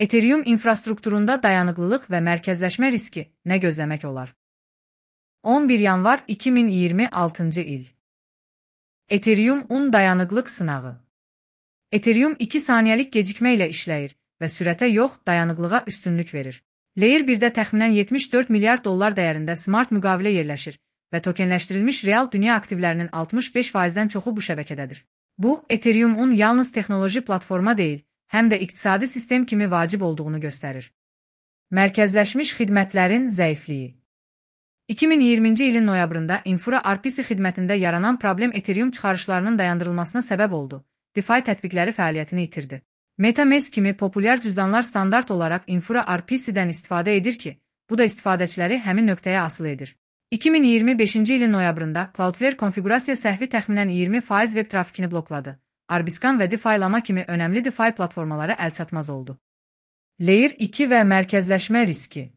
Ethereum infrastrukturunda dayanıqlılıq və mərkəzləşmə riski nə gözləmək olar? 11 yanvar 2026-cı il. Ethereum-un dayanıqlıq sınağı. Ethereum 2 saniyəlik gecikmə ilə işləyir və sürətə yox, dayanıqlığa üstünlük verir. Layer 1-də təxminən 74 milyard dollar dəyərində smart müqavilə yerləşir və tokenləşdirilmiş real dünya aktivlərinin 65%-dən çoxu bu şəbəkədədir. Bu, Ethereum-un yalnız texnoloji platforma deyil, həm də iqtisadi sistem kimi vacib olduğunu göstərir. Mərkəzləşmiş xidmətlərin zəifliyi. 2020-ci ilin noyabrında Infura RPC xidmətində yaranan problem Ethereum çıxarışlarının dayandırılmasına səbəb oldu. DeFi tətbiqləri fəaliyyətini itirdi. MetaMask kimi populyar cüzdanlar standart olaraq Infura RPC-dən istifadə edir ki, bu da istifadəçiləri həmin nöqtəyə asılı edir. 2025-ci ilin noyabrında Cloudflare konfiqurasiya səhvi təxminən 20% web trafikini blokladı. Arbiscan və DeFi-lama kimi önəmli DeFi platformalara əlçatmaz oldu. Layer 2 və mərkəzləşmə riski.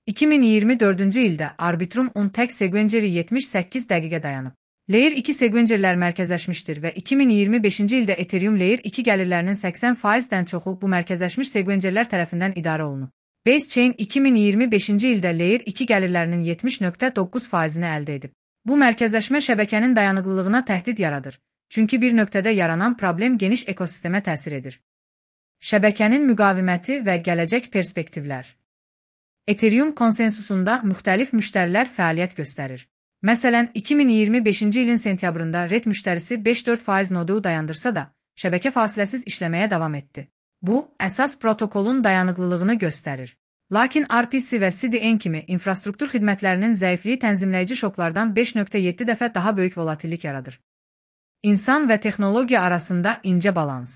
2024-cü ildə Arbitrum-un tək sequenceri 78 dəqiqə dayanıb. Layer 2 sequencerlər mərkəzləşmişdir və 2025-ci ildə Ethereum Layer 2 gəlirlərinin 80%-dən çoxu bu mərkəzləşmiş sequencerlər tərəfindən idarə olunub. Basechain 2025-ci ildə Layer 2 gəlirlərinin 70,9%-ni əldə edib. Bu mərkəzləşmə şəbəkənin dayanıqlılığına təhdid yaradır. Çünki bir nöqtədə yaranan problem geniş ekosistemə təsir edir. Şəbəkənin müqaviməti və gələcək perspektivlər. Ethereum konsensusunda müxtəlif müştərilər fəaliyyət göstərir. Məsələn, 2025-ci ilin sentyabrında RET müştərisi 5-4% nodu dayandırsa da, şəbəkə fasiləsiz işləməyə davam etdi. Bu, əsas protokolun dayanıqlılığını göstərir. Lakin RPC və CDN kimi infrastruktur xidmətlərinin zəifliyi tənzimləyici şoklardan 5,7 dəfə daha böyük volatillik yaradır. İnsan və texnologiya arasında incə balans.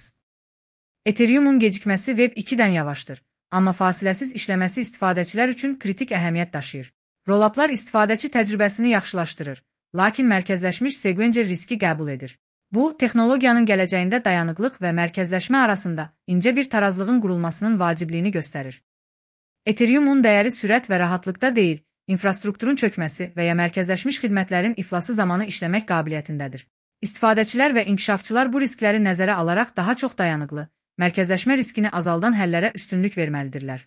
Ethereum-un gecikməsi Web 2-dən yavaşdır, amma fasiləsiz işləməsi istifadəçilər üçün kritik əhəmiyyət daşıyır. Rolluplar istifadəçi təcrübəsini yaxşılaşdırır, lakin mərkəzləşmiş sequencer riski qəbul edir. Bu, texnologiyanın gələcəyində dayanıqlıq və mərkəzləşmə arasında incə bir tarazlığın qurulmasının vacibliyini göstərir. Ethereum-un dəyəri sürət və rahatlıqda deyil, infrastrukturun çökməsi və ya mərkəzləşmiş xidmətlərin iflası zamanı işləmək qabiliyyətindədir. İstifadəçilər və inkişafçılar bu riskləri nəzərə alaraq daha çox dayanıqlı, mərkəzləşmə riskini azaldan həllərə üstünlük verməlidirlər.